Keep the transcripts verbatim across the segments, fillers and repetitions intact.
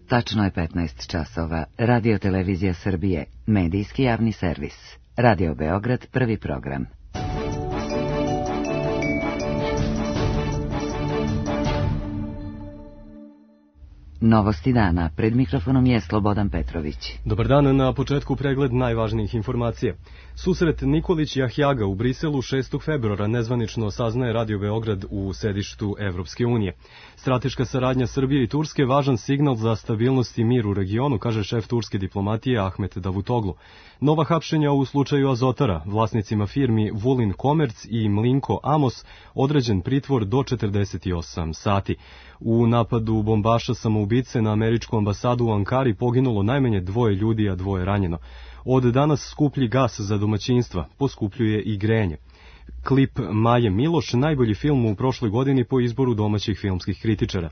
Tačno je petnaest časova. Radio Televizija Srbije, medijski javni servis. Radio Beograd, prvi program. Novosti dana. Pred mikrofonom je Slobodan Petrović. Dobar dan, na početku pregled najvažnijih informacija. Susret Nikolić-Jahjaga u Briselu šestog februara nezvanično saznaje Radio Beograd u sedištu Evropske unije. Strateška saradnja Srbije i Turske važan signal za stabilnost i mir u regionu, kaže šef turske diplomatije Ahmet Davutoglu. Nova hapšenja u slučaju Azotara, vlasnicima firmi Vulin Komerc i Mlinko Amos, određen pritvor do četrdeset osam sati. U napadu bombaša samoubice na američku ambasadu u Ankari poginulo najmanje dvoje ljudi, a dvoje ranjeno. Od danas skuplji gas za domaćinstva, poskupljuje i grejanje. Klip Maje Miloš, najbolji film u prošloj godini po izboru domaćih filmskih kritičara.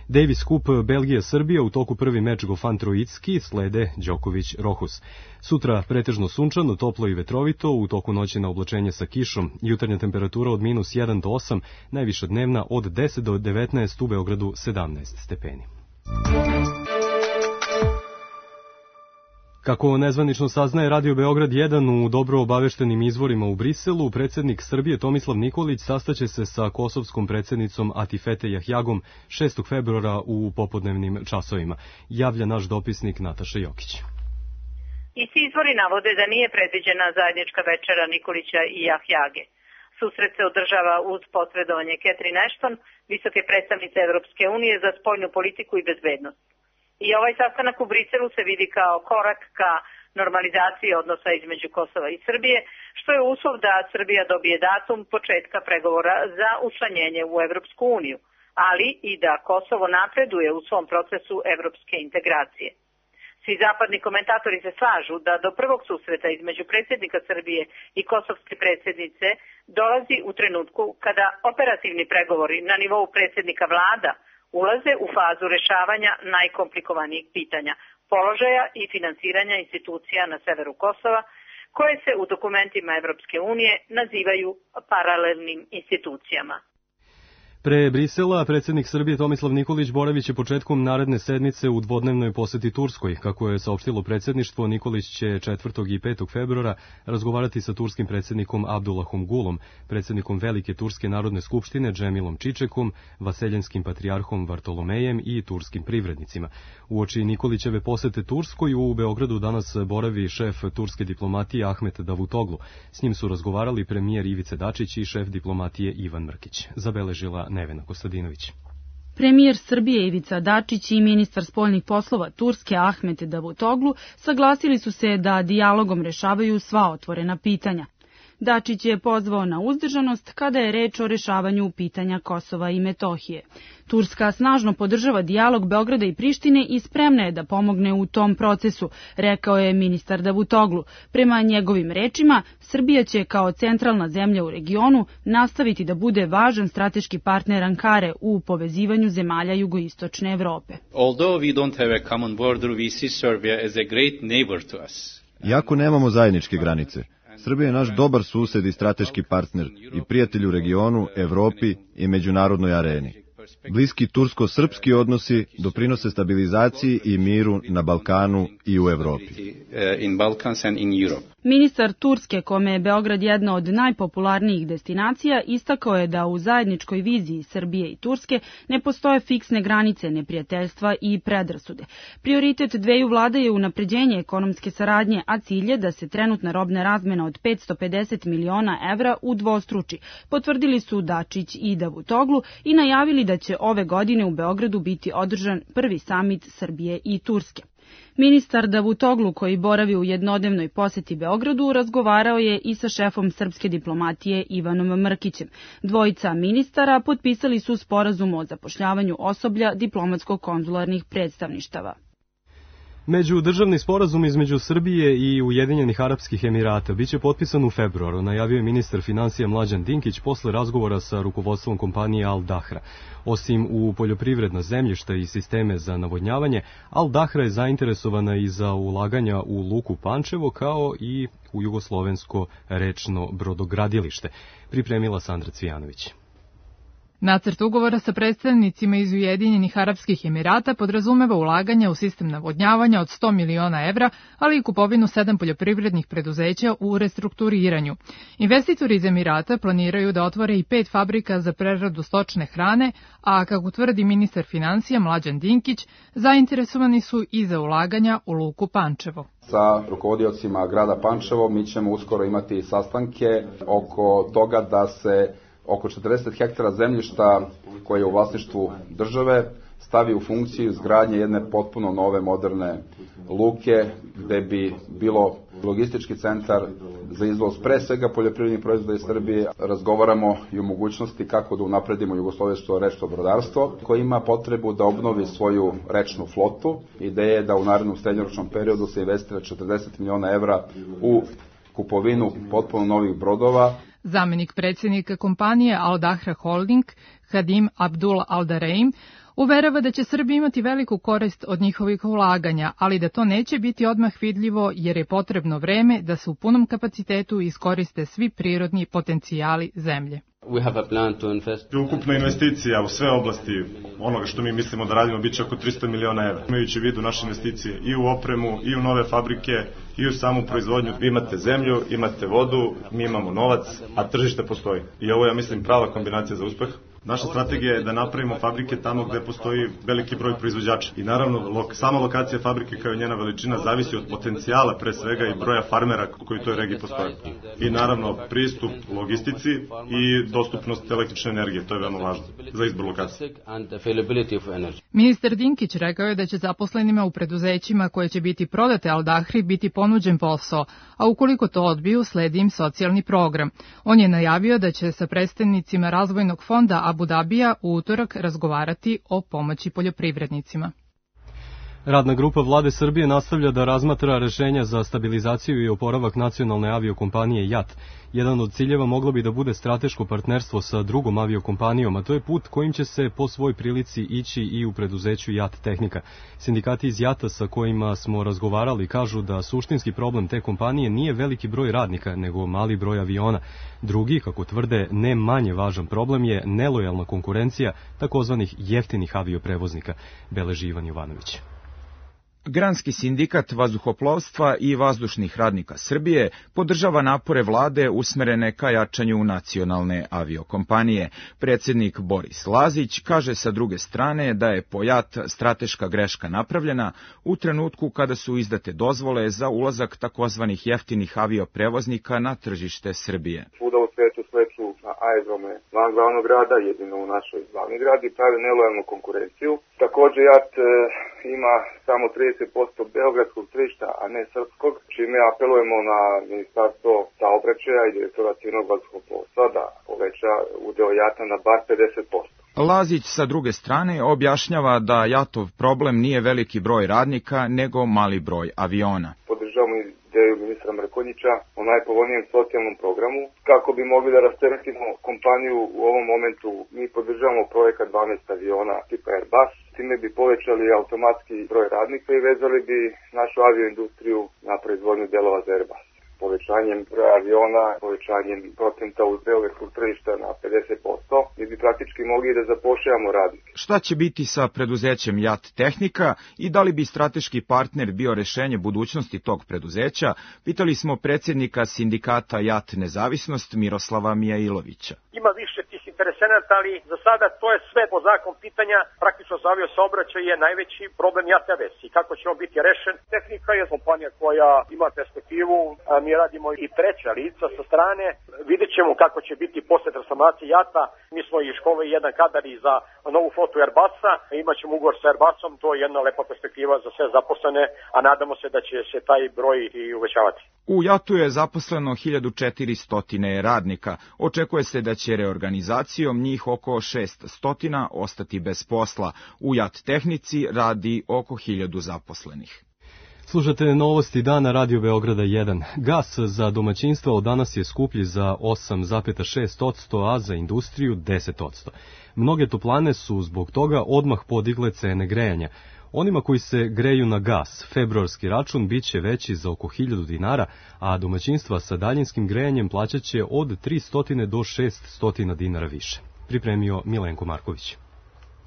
Davis Cup Belgija-Srbija, u toku prvi meč Gofan Trojicki, slede Đoković-Rohus. Sutra pretežno sunčano, toplo i vetrovito, u toku noći na oblačenje sa kišom, jutarnja temperatura od minus jedan do osam, najviša dnevna od deset do devetnaest, u Beogradu sedamnaest stepeni. Kako nezvanično saznaje Radio Beograd jedan u dobro obaveštenim izvorima u Briselu, predsjednik Srbije Tomislav Nikolić sastaće se sa kosovskom predsjednicom Atifete Jahjagom šestog februara u popodnevnim časovima, javlja naš dopisnik Nataša Jokić. Isti izvori navode da nije predviđena zajednička večera Nikolića i Jahjage. Susret se održava uz posredovanje Catherine Ashton, visoke predstavnice Evropske unije za spoljnu politiku i bezbednost. I ovaj sastanak u Briselu se vidi kao korak ka normalizaciji odnosa između Kosova i Srbije, što je uslov da Srbija dobije datum početka pregovora za učlanjenje u Evropsku uniju, ali i da Kosovo napreduje u svom procesu evropske integracije. Svi zapadni komentatori se slažu da do prvog susreta između predsjednika Srbije i kosovske predsjednice dolazi u trenutku kada operativni pregovori na nivou predsjednika vlada ulaze u fazu rešavanja najkomplikovanijih pitanja, položaja i finansiranja institucija na severu Kosova, koje se u dokumentima Evropske unije nazivaju paralelnim institucijama. Pre Brisela, predsjednik Srbije Tomislav Nikolić boravit će početkom naredne sedmice u dvodnevnoj poseti Turskoj. Kako je saopštilo predsjedništvo, Nikolić će četvrtog i petog februara razgovarati sa turskim predsjednikom Abdullahom Gulom, predsjednikom Velike Turske narodne skupštine Džemilom Čičekom, vaseljenskim patrijarhom Vartolomejem i turskim privrednicima. Uoči Nikolićeve posete Turskoj u Beogradu danas boravi šef turske diplomatije Ahmet Davutoglu. S njim su razgovarali premijer Ivica Dačić i šef diplomatije Ivan Mrkić. Zabeležila Nevena Kostadinović. Premijer Srbije Ivica Dačić i ministar spoljnih poslova Turske Ahmet Davutoglu saglasili su se da dijalogom rešavaju sva otvorena pitanja. Dačić je pozvao na uzdržanost kada je reč o rešavanju pitanja Kosova i Metohije. Turska snažno podržava dijalog Beograda i Prištine i spremna je da pomogne u tom procesu, rekao je ministar Davutoglu. Prema njegovim rečima, Srbija će kao centralna zemlja u regionu nastaviti da bude važan strateški partner Ankare u povezivanju zemalja jugoistočne Evrope. Although we don't have a common border, we see Serbia as a great neighbor to us. Iako nemamo zajedničke granice, Srbija je naš dobar sused i strateški partner i prijatelj u regionu, Evropi i međunarodnoj areni. Bliski tursko-srpski odnosi doprinose stabilizaciji i miru na Balkanu i u Evropi. Ministar Turske, kome je Beograd jedna od najpopularnijih destinacija, istakao je da u zajedničkoj viziji Srbije i Turske ne postoje fiksne granice neprijateljstva i predrasude. Prioritet dveju vlada je unapređenje ekonomske saradnje, a cilj je da se trenutna robna razmena od petsto pedeset miliona evra udvostruči, potvrdili su Dačić i Davutoglu i najavili da će ove godine u Beogradu biti održan prvi samit Srbije i Turske. Ministar Davutoglu, koji boravi u jednodnevnoj poseti Beogradu, razgovarao je i sa šefom srpske diplomatije Ivanom Mrkićem. Dvojica ministara potpisali su sporazum o zapošljavanju osoblja diplomatsko-konzularnih predstavništava. Međudržavni sporazum između Srbije i Ujedinjenih Arapskih Emirata biće potpisan u februaru, najavio je ministar financija Mlađan Dinkić posle razgovora sa rukovodstvom kompanije Al Dahra. Osim u poljoprivredna zemljišta i sisteme za navodnjavanje, Al Dahra je zainteresovana i za ulaganja u luku Pančevo kao i u jugoslovensko rečno brodogradilište, pripremila Sandra Cvijanović. Nacrt ugovora sa predstavnicima iz Ujedinjenih Arapskih Emirata podrazumeva ulaganje u sistem navodnjavanja od sto miliona evra, ali i kupovinu sedam poljoprivrednih preduzeća u restrukturiranju. Investitori iz Emirata planiraju da otvore i pet fabrika za preradu stočne hrane, a kako tvrdi ministar finansija Mlađan Dinkić, zainteresovani su i za ulaganja u luku Pančevo. Sa rukovodiocima grada Pančevo mi ćemo uskoro imati sastanke oko toga da se oko četrdeset hektara zemljišta koje je u vlasništvu države stavi u funkciju izgradnje jedne potpuno nove moderne luke gde bi bilo logistički centar za izvoz pre svega poljoprivrednih proizvoda iz Srbije. Razgovaramo i o mogućnosti kako da unapredimo jugoslovensko rečno brodarstvo koje ima potrebu da obnovi svoju rečnu flotu. Ideja je da u narednom srednjoročnom periodu se investira četrdeset miliona evra u kupovinu potpuno novih brodova. Zamenik predsjednika kompanije Al Dahra Holding, Hadim Abdul Al Dareim, uverava da će Srbija imati veliku korist od njihovih ulaganja, ali da to neće biti odmah vidljivo jer je potrebno vreme da se u punom kapacitetu iskoriste svi prirodni potencijali zemlje. Ukupna investicija u sve oblasti onoga što mi mislimo da radimo biće oko tristo miliona evra. Imajući u vidu naše investicije i u opremu, i u nove fabrike, i u samu proizvodnju. Vi imate zemlju, imate vodu, mi imamo novac, a tržište postoji. I ovo je, ja mislim, prava kombinacija za uspeh. Naša strategija je da napravimo fabrike tamo gde postoji veliki broj proizvođača. I naravno, lok, sama lokacija fabrike kao i njena veličina zavisi od potencijala pre svega i broja farmera koji u toj regiji postoje. I naravno, pristup logistici i dostupnost električne energije, to je veoma važno za izbor lokacije. Ministar Dinkić rekao je da će zaposlenima u preduzećima koje će biti prodate Al Dahri biti ponuđen posao, a ukoliko to odbiju, sledi im socijalni program. On je najavio da će sa predstavnicima razvojnog fonda Abu Dabija u utorak razgovarati o pomoći poljoprivrednicima. Radna grupa Vlade Srbije nastavlja da razmatra rešenja za stabilizaciju i oporavak nacionalne aviokompanije JAT. Jedan od ciljeva moglo bi da bude strateško partnerstvo sa drugom aviokompanijom, a to je put kojim će se po svoj prilici ići i u preduzeću JAT Tehnika. Sindikati iz JAT-a sa kojima smo razgovarali kažu da suštinski problem te kompanije nije veliki broj radnika, nego mali broj aviona. Drugi, kako tvrde, ne manje važan problem je nelojalna konkurencija takozvanih jeftinih avioprevoznika, beleži Ivan Jovanović. Granski sindikat vazduhoplovstva i vazdušnih radnika Srbije podržava napore vlade usmerene ka jačanju nacionalne aviokompanije. Predsjednik Boris Lazić kaže sa druge strane da je po JAT strateška greška napravljena u trenutku kada su izdate dozvole za ulazak takozvanih jeftinih avioprevoznika na tržište Srbije. Svuda u svetu sleću na aerodrome van glavnog grada, jedino u našoj glavni gradi, prave nelojalnu konkurenciju. Također JAT e, ima samo trideset posto beogradskog tržišta, a ne srpskog, čime apelujemo na Ministarstvo saobraćaja i direktora civilnog vazduhoplovstva da poveća udeo JAT-a na bar pedeset posto. Lazić sa druge strane objašnjava da JAT-ov problem nije veliki broj radnika, nego mali broj aviona. Podržavamo ideju ministra Mrkonjića o najpovoljnijem socijalnom programu kako bi mogli da rasteretimo kompaniju u ovom momentu. Mi podržavamo projekat dvanaest aviona tipa Airbus, time bi povećali automatski broj radnika i vezali bi našu avioindustriju na proizvodnju delova za Airbus. Povećanjem broja aviona, povećanjem procenta uz beogradskog tržišta na pedeset posto, mi bi praktički mogli da zapošljavamo radnike. Šta će biti sa preduzećem JAT Tehnika i da li bi strateški partner bio rešenje budućnosti tog preduzeća, pitali smo predsjednika sindikata JAT Nezavisnost Miroslava Mijailovića. Ima više tih interesenata, ali za sada to je sve po zakon pitanja. Praktično za avio saobraćaj je najveći problem JAT Avies i kako će on biti rešen. Tehnika je kompanija koja ima perspektivu, a mi radimo i treća lica sa strane. Vidjet ćemo kako će biti posle transformacije JAT-a. Mi smo i školili jedan kadar i za novu flotu Airbusa. Imat ćemo ugovor sa Airbusom, to je jedna lepa perspektiva za sve zaposlene, a nadamo se da će se taj broj i uvećavati. U JAT-u je zaposleno hiljadu četiristo radnika. Očekuje se da će reorganizacijom njih oko šeststo ostati bez posla. U JAT Tehnici radi oko hiljadu zaposlenih. Slušate novosti dana Radio Beograda jedan. Gas za domaćinstva od danas je skuplji za osam zarez šest posto, a za industriju deset posto. Mnoge toplane su zbog toga odmah podigle cene grejanja. Onima koji se greju na gas, februarski račun biće veći za oko hiljadu dinara, a domaćinstva sa daljinskim grejanjem plaćaće od tristo do šeststo dinara više. pripremio Milenko Marković.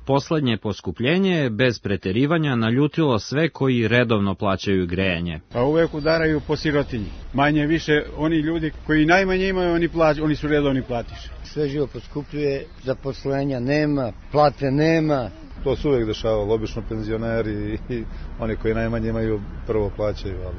Poslednje poskupljenje je bez preterivanja naljutilo sve koji redovno plaćaju grejanje. Pa uvek udaraju po sirotinji. Manje više oni ljudi koji najmanje imaju, oni, plać, oni su redovni platiše. Sve živo poskupljuje, zaposlenja nema, plate nema. To se uvek dešavalo, obično penzioneri i oni koji najmanje imaju prvo plaćaju. Ali...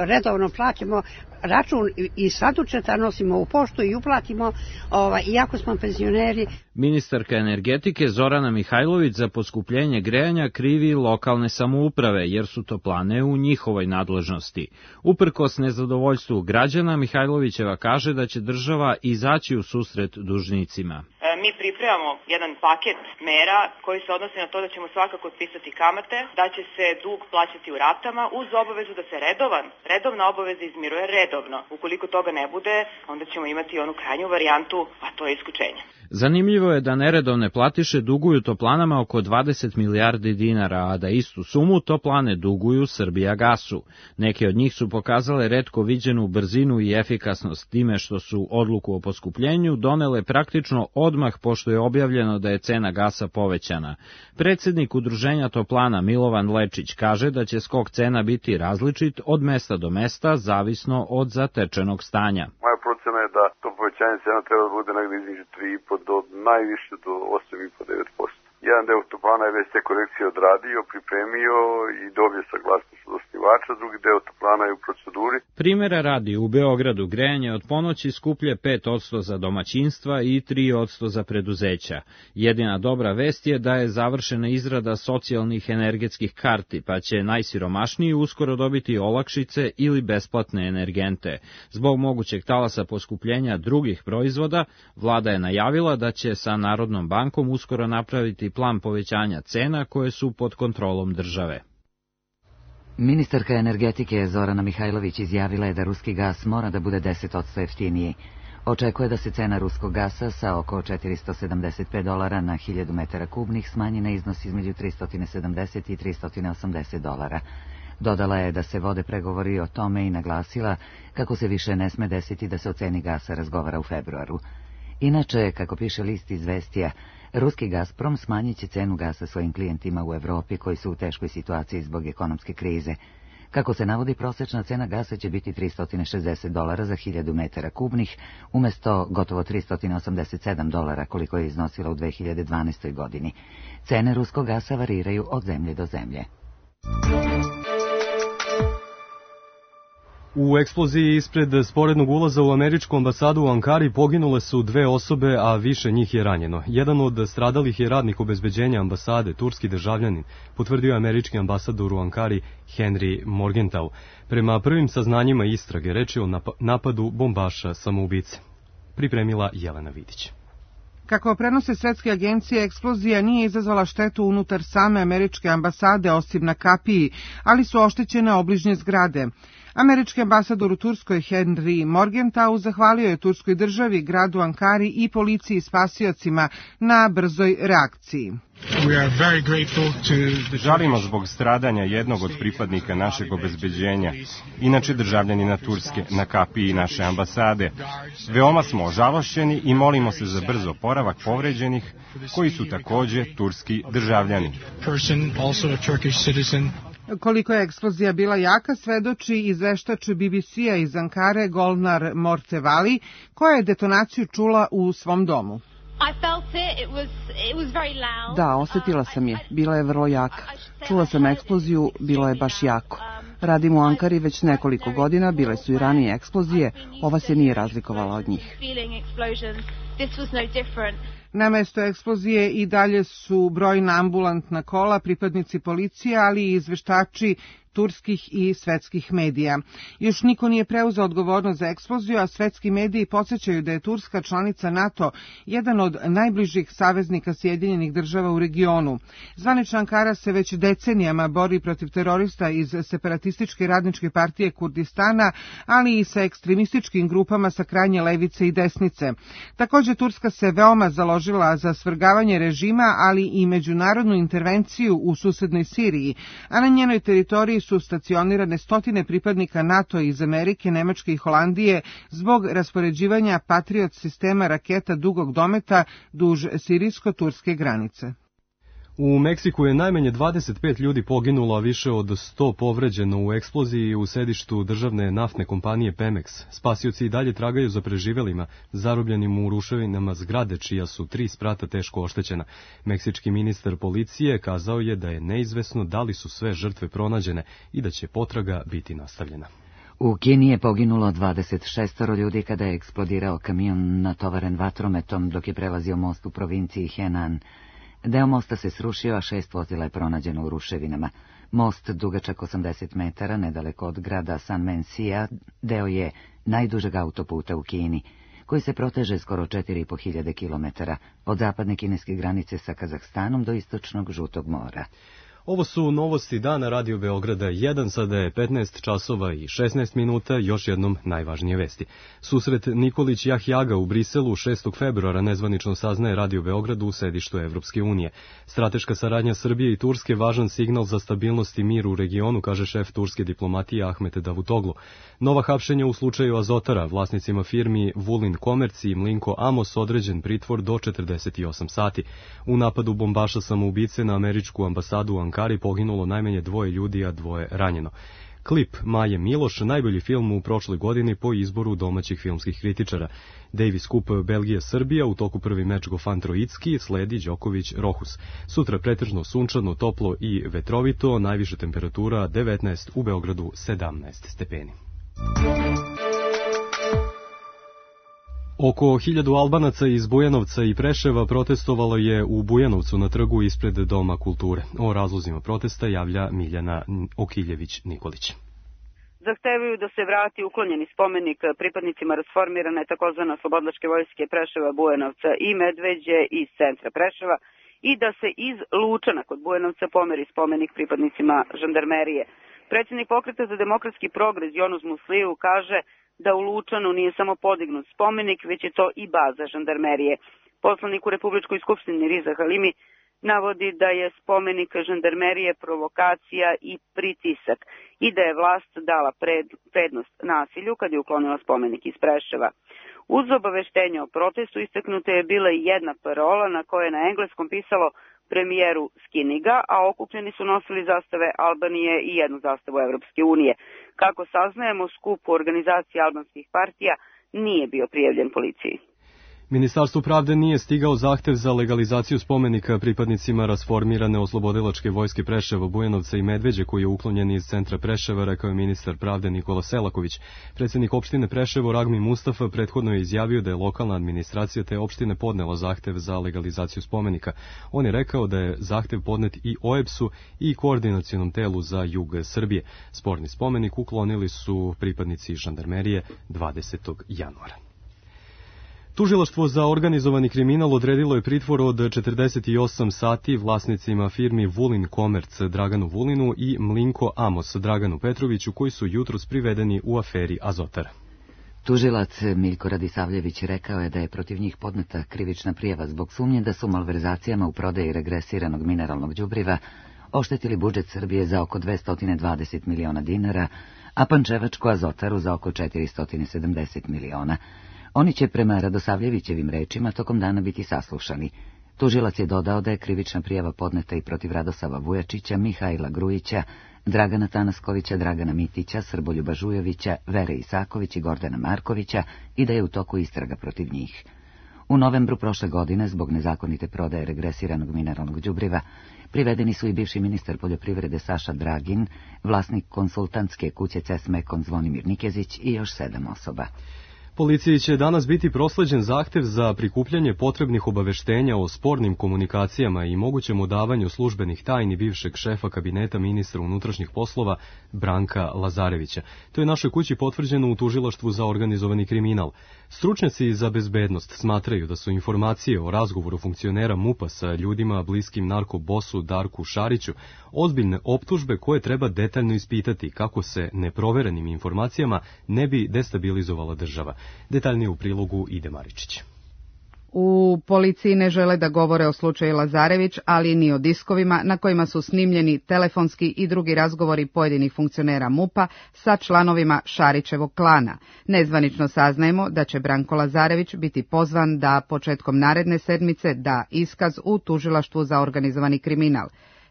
Redovno platimo račun i sandučeta nosimo u poštu i uplatimo, ovaj, iako smo penzioneri. Ministarka energetike Zorana Mihajlović za poskupljenje grejanja krivi lokalne samouprave, jer su toplane u njihovoj nadležnosti. Uprkos nezadovoljstvu građana, Mihajlovićeva kaže da će država izaći u susret dužnicima. Mi pripremamo jedan paket mera koji se odnosi na to da ćemo svakako otpisati kamate, da će se dug plaćati u ratama uz obavezu da se redovan, redovna obaveza izmiruje redovno. Ukoliko toga ne bude, onda ćemo imati onu krajnju varijantu, a to je isključenje. Zanimljivo je da neredovne platiše duguju toplanama oko dvadeset milijardi dinara, a da istu sumu toplane duguju Srbijagasu. Neke od njih su pokazale retko viđenu brzinu i efikasnost time što su odluku o poskupljenju donele praktično odmah pošto je objavljeno da je cena gasa povećana. Predsednik Udruženja toplana Milovan Lečić kaže da će skok cena biti različit od mesta do mesta, zavisno od zatečenog stanja. Moja procena je da to povećanje cena treba da bude negde između tri i po do najviše do osam i po do devet posto. Jedan deo toplana je već te korekcije odradio, pripremio i dobio saglasnost od osnivača, drugi deo toplana je u proceduri. Primera radi, u Beogradu grejanje od ponoći skuplje pet posto za domaćinstva i tri posto za preduzeća. Jedina dobra vest je da je završena izrada socijalnih energetskih karti, pa će najsiromašniji uskoro dobiti olakšice ili besplatne energente. Zbog mogućeg talasa poskupljenja drugih proizvoda, vlada je najavila da će sa Narodnom bankom uskoro napraviti plan povećanja cena koje su pod kontrolom države. Ministarka energetike Zorana Mihajlović izjavila je da ruski gas mora da bude deset posto jeftiniji. Očekuje da se cena ruskog gasa sa oko četiristo sedamdeset pet dolara na hiljadu metara kubnih smanji na iznos između tristo sedamdeset i tristo osamdeset dolara. Dodala je da se vode pregovori o tome i naglasila kako se više ne sme desiti da se o ceni gasa razgovara u februaru. Inače, kako piše list Izvestija, ruski Gazprom smanjit će cenu gasa svojim klijentima u Evropi koji su u teškoj situaciji zbog ekonomske krize. Kako se navodi, prosečna cena gasa će biti tristo šezdeset dolara za hiljadu metara kubnih, umesto gotovo tristo osamdeset sedam dolara koliko je iznosila u dve hiljade dvanaestoj godini. Cene ruskog gasa variraju od zemlje do zemlje. U eksploziji ispred sporednog ulaza u američku ambasadu u Ankari poginule su dve osobe, a više njih je ranjeno. Jedan od stradalih je radnik obezbeđenja ambasade, turski državljanin, potvrdio je američki ambasador u Ankari Henry Morgenthau. Prema prvim saznanjima istrage, reč je o napadu bombaša samoubice. Pripremila Jelena Vidić. Kako prenose svetske agencije, eksplozija nije izazvala štetu unutar same američke ambasade, osim na kapiji, ali su oštećene obližnje zgrade. Američki ambasador u Turskoj Henry Morgenthau zahvalio je turskoj državi, gradu Ankari i policiji spasiocima na brzoj reakciji. Žalimo zbog stradanja jednog od pripadnika našeg obezbeđenja, inače državljanina Turske, na kapiji naše ambasade. Veoma smo ožalošćeni i molimo se za brz oporavak povređenih, koji su takođe turski državljani. Koliko je eksplozija bila jaka, svedoči izveštač B B C-a iz Ankare Golnar Mortevali, koja je detonaciju čula u svom domu. Da, osetila sam je. Bila je vrlo jaka. Čula sam eksploziju, bilo je baš jako. Radim u Ankari već nekoliko godina, bile su i ranije eksplozije, ova se nije razlikovala od njih. Na mesto eksplozije i dalje su brojna ambulantna kola, pripadnici policije, ali i izveštači turskih i svetskih medija. Još niko nije preuzeo odgovornost za eksploziju, a svetski mediji podsjećaju da je Turska, članica NATO, jedan od najbližih saveznika Sjedinjenih država u regionu. Zvanična Ankara se već decenijama bori protiv terorista iz separatističke radničke partije Kurdistana, ali i sa ekstremističkim grupama sa krajnje levice i desnice. Takođe, Turska se veoma založila za svrgavanje režima, ali i međunarodnu intervenciju u susednoj Siriji, a na njenoj teritoriji su su stacionirane stotine pripadnika NATO iz Amerike, Nemačke i Holandije zbog raspoređivanja Patriot sistema raketa dugog dometa duž sirijsko-turske granice. U Meksiku je najmanje dvadeset pet ljudi poginulo, a više od sto povređeno u eksploziji u sedištu državne naftne kompanije Pemex. Spasioci i dalje tragaju za preživelima, zarobljenim u ruševinama zgrade, čija su tri sprata teško oštećena. Meksički ministar policije kazao je da je neizvesno da li su sve žrtve pronađene i da će potraga biti nastavljena. U Kini je poginulo dvadeset šest ljudi kada je eksplodirao kamion natovaren vatrometom dok je prelazio most u provinciji Henan. Deo mosta se srušio, a šest vozila je pronađeno u ruševinama. Most, dugačak osamdeset metara, nedaleko od grada San Mensija, deo je najdužeg autoputa u Kini, koji se proteže skoro četiri i po hiljade kilometara, od zapadne kineske granice sa Kazahstanom do istočnog Žutog mora. Ovo su novosti dana Radio Beograda jedan, sada je petnaest časova i šesnaest minuta, još jednom najvažnije vesti. Susret Nikolić Jahjaga u Briselu šestog februara nezvanično saznaje Radio Beogradu u sedištu Evropske unije. Strateška saradnja Srbije i Turske važan signal za stabilnost i mir u regionu, kaže šef turske diplomatije Ahmet Davutoglu. Nova hapšenja u slučaju Azotara, vlasnicima firmi Vulin Komerci i Mlinko Amos određen pritvor do četrdeset osam sati. U napadu bombaša samoubice na američku ambasadu u Ankari poginulo najmanje dvoje ljudi, a dvoje ranjeno. Klip Maje Miloš, najbolji film u prošloj godini po izboru domaćih filmskih kritičara. Davis Cup Belgija-Srbija, u toku prvi meč Gofan Trojicki, sledi Đoković-Rohus. Sutra pretežno sunčano, toplo i vetrovito, najviša temperatura devetnaest, u Beogradu sedamnaest stepeni. Oko hiljadu Albanaca iz Bujanovca i Preševa protestovalo je u Bujanovcu na trgu ispred Doma kulture. O razlozima protesta javlja Miljana Okiljević-Nikolić. Zahtevaju da se vrati uklonjeni spomenik pripadnicima rasformirane takozvane oslobodilačke vojske Preševa, Bujanovca i Medveđe iz centra Preševa i da se iz Lučana kod Bujanovca pomeri spomenik pripadnicima žandarmerije. Predsjednik Pokreta za demokratski progres Jonuz Musliju kaže da u Lučanu nije samo podignut spomenik, već je to i baza žandarmerije. Poslanik u Republičkoj skupštini Riza Halimi navodi da je spomenik žandarmerije provokacija i pritisak i da je vlast dala pred, prednost nasilju kad je uklonila spomenik iz Preševa. Uz obaveštenje o protestu istaknuta je bila i jedna parola na kojoj je na engleskom pisalo premijeru skini ga, a okupljeni su nosili zastave Albanije i jednu zastavu Evropske unije. Kako saznajemo, skup u organizaciji albanskih partija nije bio prijavljen policiji. Ministarstvu pravde nije stigao zahtev za legalizaciju spomenika pripadnicima rasformirane oslobodilačke vojske Preševa, Bujanovca i Medveđe, koji je uklonjen iz centra Preševa, rekao je ministar pravde Nikola Selaković. Predsjednik opštine Preševo Ragmi Mustafa prethodno je izjavio da je lokalna administracija te opštine podnela zahtev za legalizaciju spomenika. On je rekao da je zahtev podnet i O E B S-u i Koordinacionom telu za jug Srbije. Sporni spomenik uklonili su pripadnici žandarmerije dvadesetog januara. Tužilaštvo za organizovani kriminal odredilo je pritvor od četrdeset osam sati vlasnicima firmi Vulin Komerc Draganu Vulinu i Mlinko Amos Draganu Petroviću, koji su jutros privedeni u aferi Azotar. Tužilac Miljko Radisavljević rekao je da je protiv njih podneta krivična prijava zbog sumnje da su malverzacijama u prodaji regresiranog mineralnog đubriva oštetili budžet Srbije za oko dvesta dvadeset miliona dinara, a Pančevačku Azotaru za oko četiristo sedamdeset miliona. Oni će prema Radosavljevićevim rečima tokom dana biti saslušani. Tužilac je dodao da je krivična prijava podneta i protiv Radosava Vujačića, Mihajla Grujića, Dragana Tanaskovića, Dragana Mitića, Srboljuba Žujovića, Vere Isaković i Gordana Markovića i da je u toku istraga protiv njih. U novembru prošle godine, zbog nezakonite prodaje regresiranog mineralnog đubriva, privedeni su i bivši ministar poljoprivrede Saša Dragin, vlasnik konsultantske kuće C E S Mekon Zvonimir Nikezić i još sedam osoba. Policiji će danas biti prosleđen zahtev za prikupljanje potrebnih obaveštenja o spornim komunikacijama i mogućem odavanju službenih tajni bivšeg šefa kabineta ministra unutrašnjih poslova Branka Lazarevića. To je našoj kući potvrđeno u Tužilaštvu za organizovani kriminal. Stručnjaci za bezbednost smatraju da su informacije o razgovoru funkcionera MUP-a sa ljudima bliskim narkobosu Darku Šariću ozbiljne optužbe koje treba detaljno ispitati kako se neproverenim informacijama ne bi destabilizovala država. Detaljnije u prilogu Ide Maričić. U policiji ne žele da govore o slučaju Lazarević, ali ni o diskovima na kojima su snimljeni telefonski i drugi razgovori pojedinih funkcionera MUP-a sa članovima Šarićevog klana. Nezvanično saznajemo da će Branko Lazarević biti pozvan da početkom naredne sedmice da iskaz u tužilaštvu za organizovani kriminal.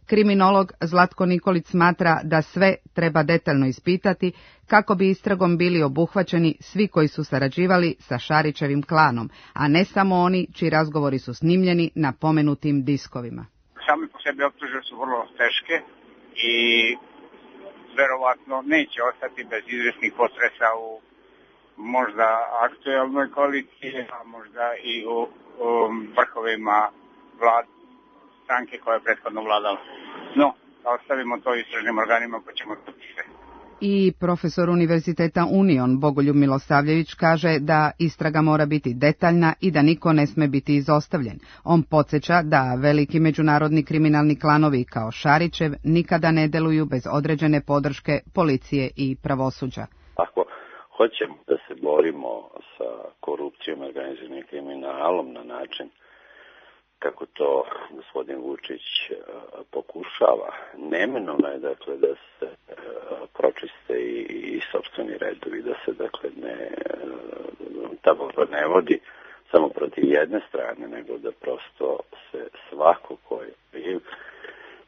Kriminolog Zlatko Nikolić smatra da sve treba detaljno ispitati kako bi istragom bili obuhvaćeni svi koji su sarađivali sa Šarićevim klanom, a ne samo oni čiji razgovori su snimljeni na pomenutim diskovima. Sami po sebi optužbe su vrlo teške i verovatno neće ostati bez izvesnih potresa u možda aktuelnoj koaliciji, a možda i u, u vrhovima vlade stranke koja je prethodno vladala. No, ostavimo to istražnim organima pa ćemo to sve. I profesor Univerziteta Union Bogoljub Milosavljević kaže da istraga mora biti detaljna i da niko ne sme biti izostavljen. On podsjeća da veliki međunarodni kriminalni klanovi kao Šarićev nikada ne deluju bez određene podrške policije i pravosuđa. Ako hoćemo da se borimo sa korupcijom i organiziranim kriminalom na način kako to gospodin Vučić pokušava, neminovno je dakle da se pročiste i, i sopstveni redovi, da se dakle ne ta borba ne vodi samo protiv jedne strane, nego da prosto se svako ko je kriv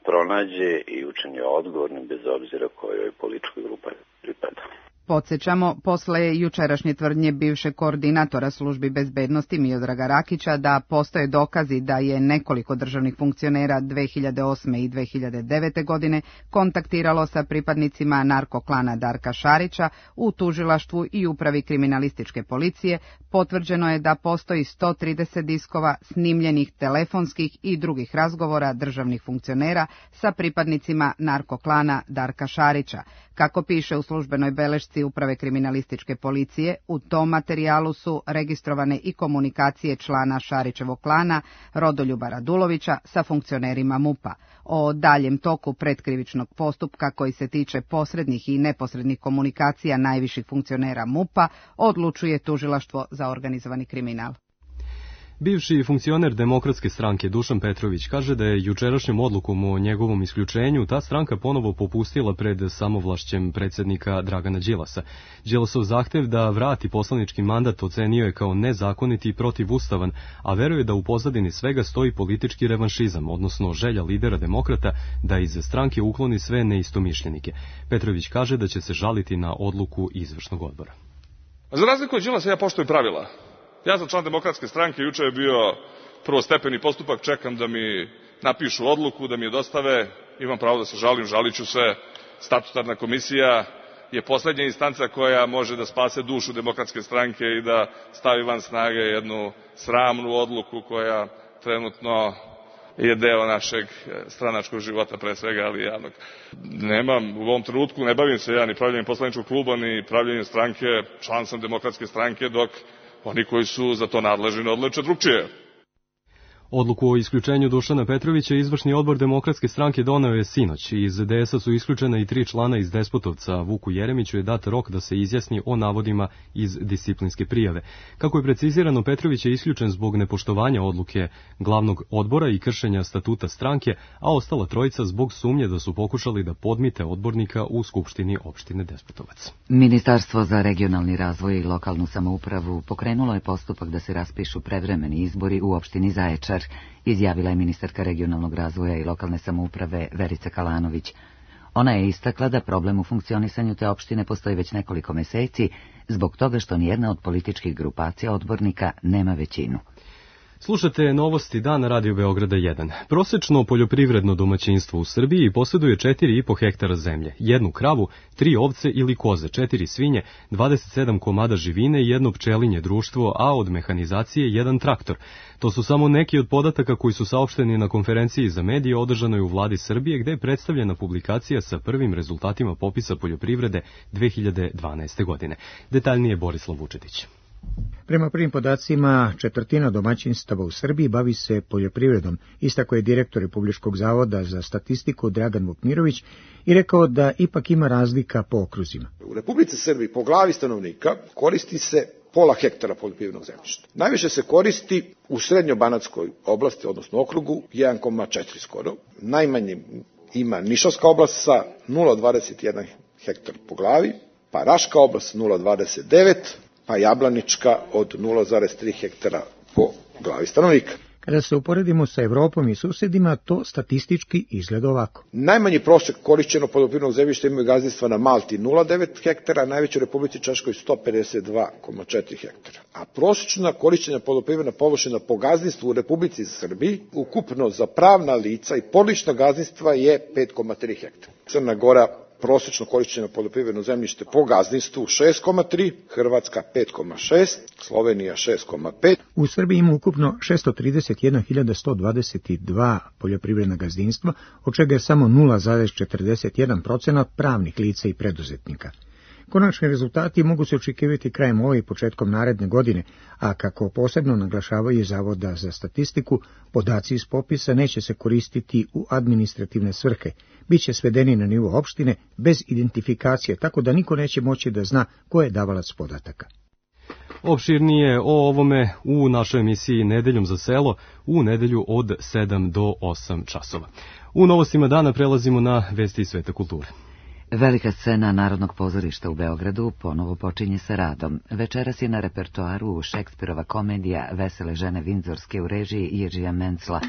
pronađe i učini odgovornim bez obzira kojoj političkoj grupi pripada. Podsjećamo, posle jučerašnje tvrdnje bivšeg koordinatora službi bezbednosti Miodraga Rakića da postoje dokazi da je nekoliko državnih funkcionera dve hiljade osme i dve hiljade devete. godine kontaktiralo sa pripadnicima narkoklana Darka Šarića u tužilaštvu i upravi kriminalističke policije, potvrđeno je da postoji sto trideset diskova snimljenih telefonskih i drugih razgovora državnih funkcionera sa pripadnicima narkoklana Darka Šarića. Kako piše u službenoj belešci uprave kriminalističke policije, u tom materijalu su registrovane i komunikacije člana Šarićevog klana Rodoljuba Radulovića sa funkcionerima MUP-a. O daljem toku pretkrivičnog postupka koji se tiče posrednih i neposrednih komunikacija najviših funkcionera MUP-a odlučuje tužilaštvo za organizovani kriminal. Bivši funkcioner Demokratske stranke Dušan Petrović kaže da je jučerašnjom odlukom o njegovom isključenju ta stranka ponovo popustila pred samovlašćem predsjednika Dragana Đilasa. Đilasov zahtev da vrati poslanički mandat ocenio je kao nezakoniti i protivustavan, a veruje da u pozadini svega stoji politički revanšizam, odnosno želja lidera demokrata da iz stranke ukloni sve neistomišljenike. Petrović kaže da će se žaliti na odluku izvršnog odbora. Za razliku od Đilasa ja poštujem pravila. Ja sam član Demokratske stranke, juče je bio prvostepeni postupak, čekam da mi napišu odluku, da mi je dostave, imam pravo da se žalim, žalit ću se. Statutarna komisija je poslednja instanca koja može da spase dušu Demokratske stranke i da stavi van snage jednu sramnu odluku koja trenutno je deo našeg stranačkog života, pre svega, ali javnog. Nemam, u ovom trenutku ne bavim se ja ni pravljenjem poslaničkog kluba, ni pravljenjem stranke, član sam Demokratske stranke, dok oni koji su za to nadležni ne odluče drugčije. Odluku o isključenju Dušana Petrovića izvršni odbor Demokratske stranke doneo je sinoć. Iz D S A su isključena i tri člana iz Despotovca. Vuku Jeremiću je dat rok da se izjasni o navodima iz disciplinske prijave. Kako je precizirano, Petrović je isključen zbog nepoštovanja odluke glavnog odbora i kršenja statuta stranke, a ostala trojica zbog sumnje da su pokušali da podmite odbornika u Skupštini opštine Despotovac. Ministarstvo za regionalni razvoj i lokalnu samoupravu pokrenulo je postupak da se raspišu prevremeni izbori u opštini Zaječar, izjavila je ministarka regionalnog razvoja i lokalne samouprave Verica Kalanović. Ona je istakla da problem u funkcionisanju te opštine postoji već nekoliko meseci, zbog toga što nijedna od političkih grupacija odbornika nema većinu. Slušate novosti dana Radio Beograda jedan. Prosečno poljoprivredno domaćinstvo u Srbiji posjeduje četiri i po hektara zemlje, jednu kravu, tri ovce ili koze, četiri svinje, dvadeset sedam komada živine i jedno pčelinje društvo, a od mehanizacije jedan traktor. To su samo neki od podataka koji su saopšteni na konferenciji za medije održanoj u vladi Srbije, gde je predstavljena publikacija sa prvim rezultatima popisa poljoprivrede dve hiljade dvanaeste. godine. Detaljnije Borislav Vučetić. Prema prvim podacima, četvrtina domaćinstava u Srbiji bavi se poljoprivredom, istako je direktor Republičkog zavoda za statistiku Dragan Vukmirović i rekao da ipak ima razlika po okruzima. U Republici Srbiji po glavi stanovnika koristi se pola hektara poljoprivrednog zemljišta. Najviše se koristi u srednjobanatskoj oblasti, odnosno okrugu, jedan zarez četiri skoro. Najmanje ima Nišavska oblast sa nula zarez dvadeset jedan hektar po glavi, pa Raška oblast nula zarez dvadeset devet, pa Jablanička od nula zarez tri hektara po glavi stanovnika. Kada se uporedimo sa Evropom i susedima, to statistički izgleda ovako. Najmanji prosek korišćeno poljoprivrednog zemljišta imaju gazdinstva na Malti nula zarez devet hektara, a najveće u Republici Češkoj sto pedeset dva zarez četiri hektara. A prosječna korišćenja poljoprivredna površina po gazdinstvu u Republici Srbiji, ukupno za pravna lica i porodična gazdinstva je pet zarez tri hektara. Crna Gora prosječno korišćeno poljoprivredno zemljište po gazdinstvu šest zarez tri, Hrvatska pet zarez šest, Slovenija šest zarez pet. U Srbiji ima ukupno šesto trideset jedna hiljada sto dvadeset dva poljoprivredna gazdinstva, od čega je samo nula zarez četrdeset jedan procenat pravnih lica i preduzetnika. Konačni rezultati mogu se očekivati krajem ove i početkom naredne godine, a kako posebno naglašavaju Zavoda za statistiku, podaci iz popisa neće se koristiti u administrativne svrhe, bit će svedeni na nivo opštine bez identifikacije, tako da niko neće moći da zna ko je davalac podataka. Opširnije o ovome u našoj emisiji Nedeljom za selo u nedelju od sedam do osam časova. U novostima dana prelazimo na vesti iz sveta kulture. Velika scena Narodnog pozorišta u Beogradu ponovo počinje sa radom. Večeras je na repertoaru Šekspirova komedija Vesele žene Vindzorske u režiji Jiržija Mencla.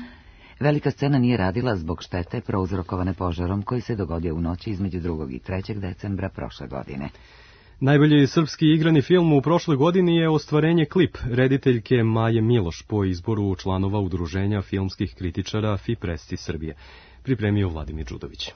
Velika scena nije radila zbog štete prouzrokovane požarom koji se dogodio u noći između drugog i trećeg decembra prošle godine. Najbolji srpski igrani film u prošloj godini je ostvarenje Klip rediteljke Maje Miloš po izboru članova Udruženja filmskih kritičara Fipresti Srbije. Pripremio Vladimir Đudović.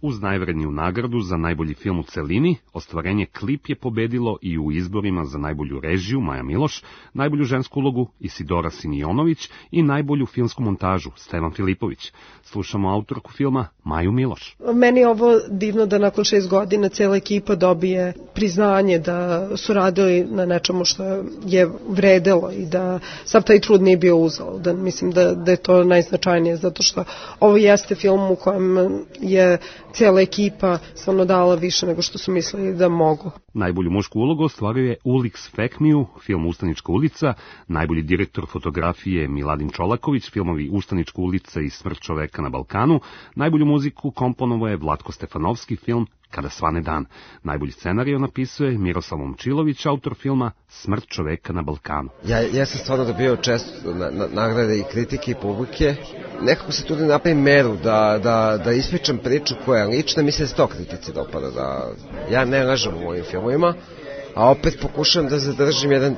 Uz najvredniju nagradu za najbolji film u celini, ostvarenje Klip je pobedilo i u izborima za najbolju režiju Maja Miloš, najbolju žensku ulogu Isidora Sinijonović i najbolju filmsku montažu Stevan Filipović. Slušamo autorku filma Maju Miloš. Meni je ovo divno da nakon šest godina cijela ekipa dobije priznanje da su radili na nečemu što je vredelo i da sav taj trud nije bio uzalud. Da mislim da, da je to najznačajnije, zato što ovo jeste film u kojem je cijela ekipa stvarno dala više nego što su mislili da mogu. Najbolju mušku ulogu ostvario je Ulix Fekmiju, film Ustanička ulica, najbolji direktor fotografije Miladin Čolaković, filmovi Ustanička ulica i Smrt čoveka na Balkanu, najbolju muziku komponovao je Vlatko Stefanovski, film Kada svane dan. Najbolji scenarij napisuje Miroslav Momčilović, autor filma Smrt čoveka na Balkanu. Ja, ja sam stvarno dobio često na, na, nagrade i kritike i publike. Nekako se tu da napravim meru, da, da, da ispričam priču koja je lična, mislim da se to kritici dopada. Da, ja ne lažem u mojim filmovima, a opet pokušam da zadržim jedan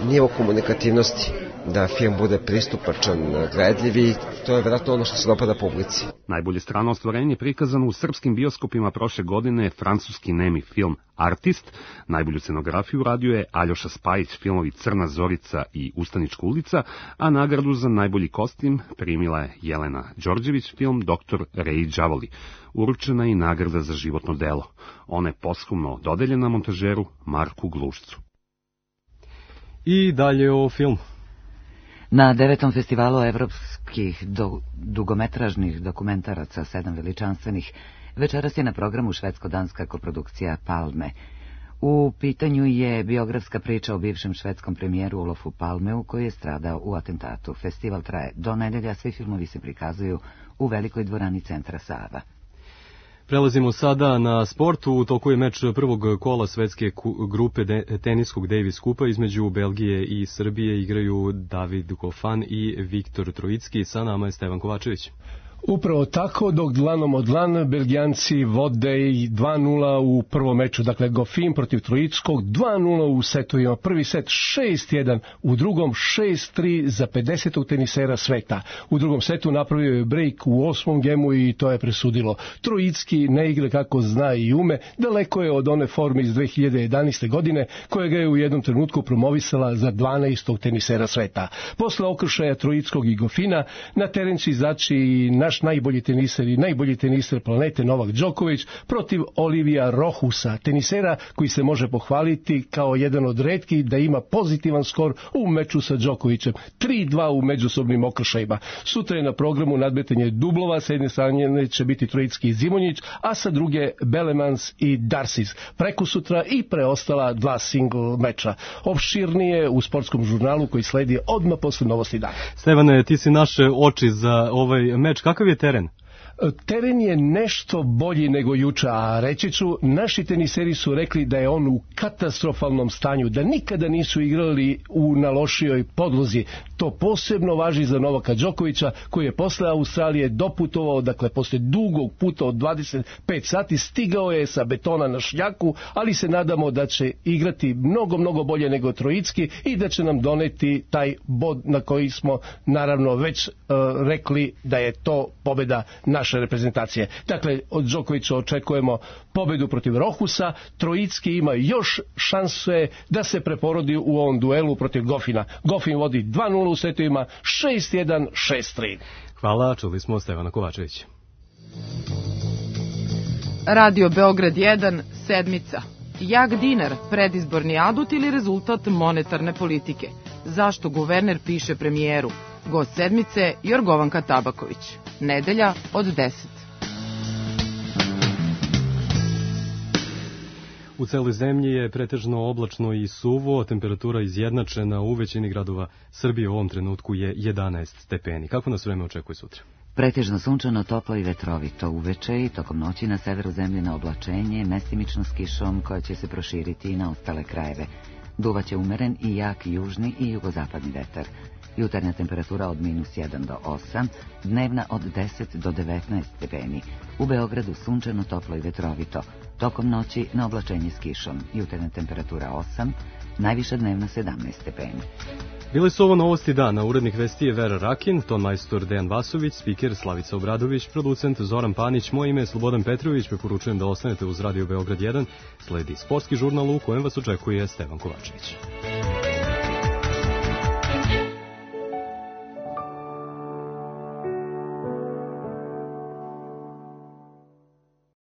nivo komunikativnosti, da film bude pristupačan, gledljiv i to je vjerojatno ono što se dopada publici. Najbolje strano ostvarenje je prikazano u srpskim bioskopima prošle godine francuski nemi film Artist. Najbolju scenografiju radio je Aljoša Spajić, filmovi Crna Zorica i Ustanička ulica, a nagradu za najbolji kostim primila je Jelena Đorđević, film Doktor Rej Đavoli. Uručena je i nagrada za životno delo. Ona je posthumno dodeljena montažeru Marku Glušcu. I dalje o filmu. Na devetom festivalu evropskih do, dugometražnih dokumentaraca, sedam veličanstvenih, večeras je na programu švedsko-danska koprodukcija Palme. U pitanju je biografska priča o bivšem švedskom premijeru Olofu Palmeu koji je stradao u atentatu. Festival traje do nedelja, svi filmovi se prikazuju u velikoj dvorani centra Sava. Prelazimo sada na sport. U toku je meč prvog kola svetske grupe teniskog Davis Kupa između Belgije i Srbije. Igraju David Goffin i Viktor Trojicki. Sa nama je Stevan Kovačević. Upravo tako, dok dlanom od dlan Belgijanci vode dva nula u prvom meču, dakle Goffin protiv Trojickog, dva nula u setovima, prvi set šest jedan, u drugom šest tri za pedesetog tenisera sveta. U drugom setu napravio je break u osmom gemu i to je presudilo. Trojicki ne igra kako zna i ume, daleko je od one forme iz dve hiljade jedanaeste. godine, koja ga je u jednom trenutku promovisala za dvanaestog tenisera sveta. Posle okršaja Trojickog i Goffina, na teren će izaći i naš naš najbolji teniser i najbolji teniser planete Novak Đoković protiv Olivija Rohusa, tenisera koji se može pohvaliti kao jedan od retkih da ima pozitivan skor u meču sa Đokovićem. tri dva u međusobnim okršajima. Sutra je na programu nadmetanje dublova, sa jedne strane će biti Trojicki i Zimonjić, a sa druge Belemans i Darcis. Preko sutra i preostala dva single meča. Opširnije u sportskom žurnalu koji sledi odmah posle novosti dana. Stevane, ti si naše oči za ovaj meč. Kakav je teren? Teren je nešto bolji nego juče, a reći ću, naši teniseri su rekli da je on u katastrofalnom stanju, da nikada nisu igrali u na lošijoj podlozi. To posebno važi za Novaka Đokovića, koji je posle Australije doputovao, dakle posle dugog puta od dvadeset pet sati, stigao je sa betona na šljaku, ali se nadamo da će igrati mnogo, mnogo bolje nego Trojicki i da će nam doneti taj bod na koji smo naravno već uh, rekli da je to pobeda naše reprezentacije. Dakle, od Đokovića očekujemo pobedu protiv Rohusa. Trojicki ima još šanse da se preporodi u ovom duelu protiv Gofina. Gofin vodi dva nula u setovima, šest jedan, šest tri. Hvala, čuli smo Stevana Kovačevića. Radio Beograd jedan, sedmica. Jak dinar, predizborni adut ili rezultat monetarne politike? Zašto guverner piše premijeru? Gost sedmice Jorgovanka Tabaković. Nedelja od deset. U celoj zemlji je pretežno oblačno i suvo, temperatura izjednačena u većini gradova Srbije u ovom trenutku je jedanaest stepeni. Kako nas vreme očekuje sutra? Pretežno sunčano, toplo i vetrovito uveče i tokom noći na severu zemlje na oblačenje, mestimično s kišom koja će se proširiti i na ostale krajeve. Duvaće umeren i jak južni i jugozapadni vetar. Jutarnja temperatura od minus jedan do osam, dnevna od deset do devetnaest stepeni. U Beogradu sunčano, toplo i vetrovito. Tokom noći na oblačenje s kišom. Jutarnja temperatura osam, najviša dnevna sedamnaest stepeni. Bili su ovo novosti dana. Urednik vesti je Vera Rakin, ton majstor Dejan Vasović, spiker Slavica Obradović, producent Zoran Panić, moje ime je Slobodan Petrović, preporučujem da ostanete uz Radio Beograd jedan. Sledi sportski žurnal u kojem vas očekuje Stevan Kovačević.